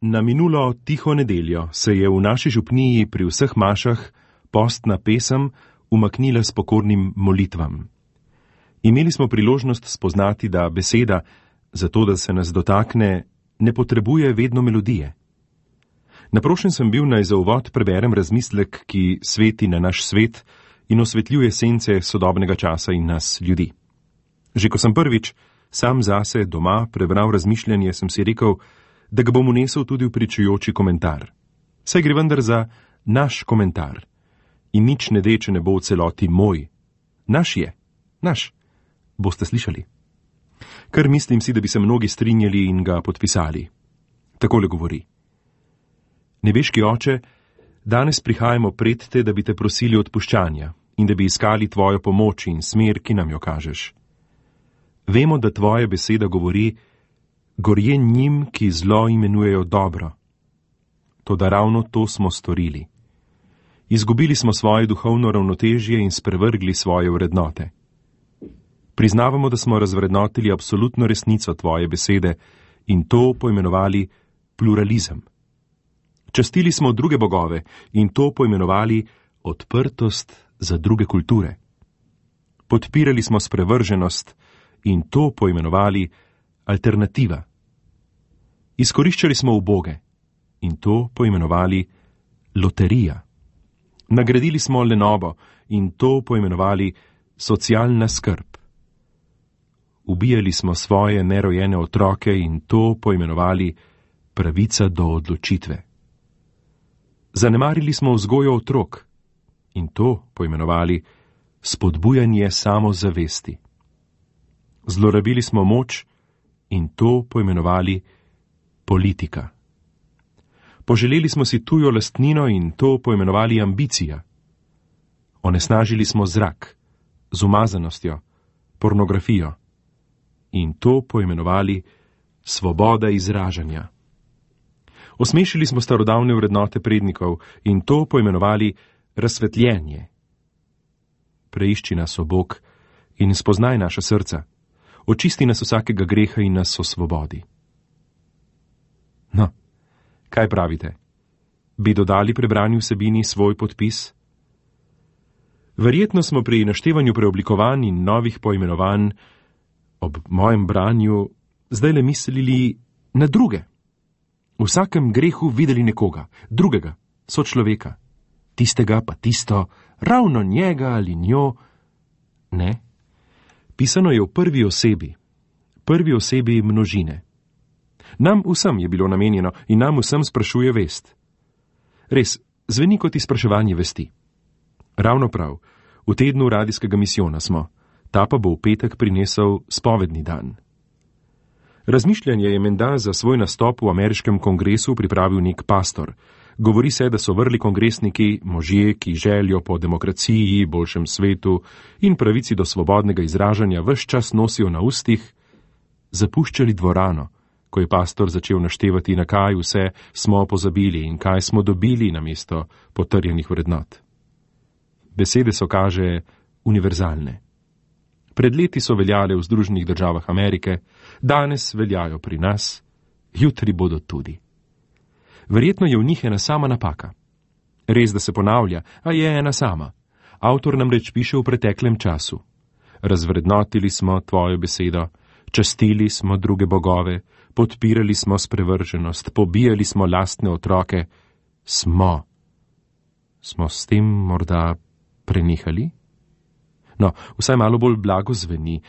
Na minulo tiho nedeljo se je v naši župniji pri vseh mašah postna pesem umaknila s pokornim molitvam. Imeli smo priložnost spoznati, da beseda, zato da se nas dotakne, ne potrebuje vedno melodije. Naprošen sem bil, naj za uvod preberem razmislek, ki sveti na naš svet in osvetljuje sence sodobnega časa in nas, ljudi. Že ko sem prvič sam zase doma prebral razmišljanje, sem si rekel, da ga bom unesel tudi v pričujoči komentar. Saj gre vendar za naš komentar. In nič ne de, če ne bo v celoti moj. Naš je. Naš. Boste slišali. Kar mislim si, da bi se mnogi strinjali in ga podpisali. Takole govori. Nebeški oče, danes prihajamo pred te, da bi te prosili odpuščanja in da bi iskali tvojo pomoč in smer, ki nam jo kažeš. Vemo, da tvoja beseda govori, gorje njim, ki zlo imenujejo dobro. Toda ravno to smo storili. Izgubili smo svoje duhovno ravnotežje in sprevrgli svoje vrednote. Priznavamo, da smo razvrednotili absolutno resnico tvoje besede in to poimenovali pluralizem. Častili smo druge bogove in to poimenovali odprtost za druge kulture. Podpirali smo sprevrženost in to poimenovali alternativa. Izkoriščali smo uboge in to poimenovali loterija. Nagradili smo lenobo in to poimenovali socialna skrb. Ubijali smo svoje nerojene otroke in to poimenovali pravica do odločitve. Zanemarili smo vzgojo otrok in to poimenovali spodbujanje samozavesti. Zlorabili smo moč in to poimenovali politika. Poželeli smo si tujo lastnino in to poimenovali ambicija. Onesnažili smo zrak z umazanostjo, pornografijo in to poimenovali svoboda izražanja. Osmešili smo starodavne vrednote prednikov in to poimenovali razsvetljenje. Preišči nas, o Bog, in spoznaj naša srca. Očisti nas vsakega greha in nas osvobodi. No, kaj pravite? Bi dodali prebrani vsebini svoj podpis? Verjetno smo pri naštevanju preoblikovanj in novih poimenovanj ob mojem branju zdajle mislili na druge. V vsakem grehu videli nekoga, drugega, sočloveka. Tistega pa tisto, ravno njega ali njo. Ne. Pisano je v prvi osebi množine. Nam vsem je bilo namenjeno in nam vsem sprašuje vest. Res, zveni kot izpraševanje vesti. Ravno prav, v tednu radijskega misijona smo, ta pa bo v petek prinesel spovedni dan. Razmišljanje je menda za svoj nastop v ameriškem kongresu pripravil nek pastor. Govori se, da so vrli kongresniki možje, ki željo po demokraciji, boljšem svetu in pravici do svobodnega izražanja ves čas nosijo na ustih, zapuščali dvorano, ko je pastor začel naštevati, na kaj vse smo pozabili in kaj smo dobili namesto potrjenih vrednot. Besede so, kaže, univerzalne. Pred leti so veljale v Združenih državah Amerike, danes veljajo pri nas, jutri bodo tudi. Verjetno je v njih ena sama napaka. Res, da se ponavlja, a je ena sama. Avtor namreč piše v preteklem času. Razvrednotili smo tvojo besedo, častili smo druge bogove, podpirali smo sprevrženost, pobijali smo lastne otroke. Smo s tem morda prenehali? No, vsaj malo bolj blago zveni,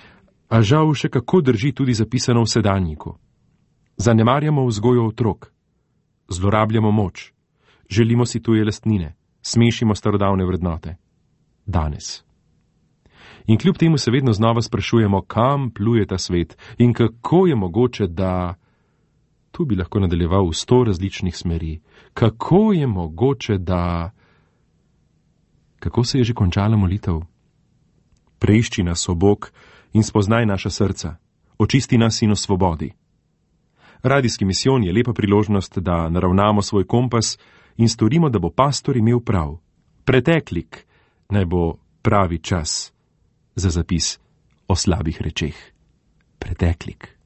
a žal še kako drži tudi zapisano v sedanjiku. Zanemarjamo vzgojo otrok, zlorabljamo moč, želimo si tuje lastnine, smešimo starodavne vrednote. Danes. In kljub temu se vedno znova sprašujemo, kam pluje ta svet in kako je mogoče, da... Tu bi lahko nadaljeval v 100 različnih smeri. Kako je mogoče, da... Kako se je že končala molitev? Preišči nas, o Bog, in spoznaj naša srca. Očisti nas in osvobodi. Radijski misijon je lepa priložnost, da naravnamo svoj kompas in storimo, da bo pastor imel prav. Preteklik naj bo pravi čas za zapis o slabih rečeh. Preteklik.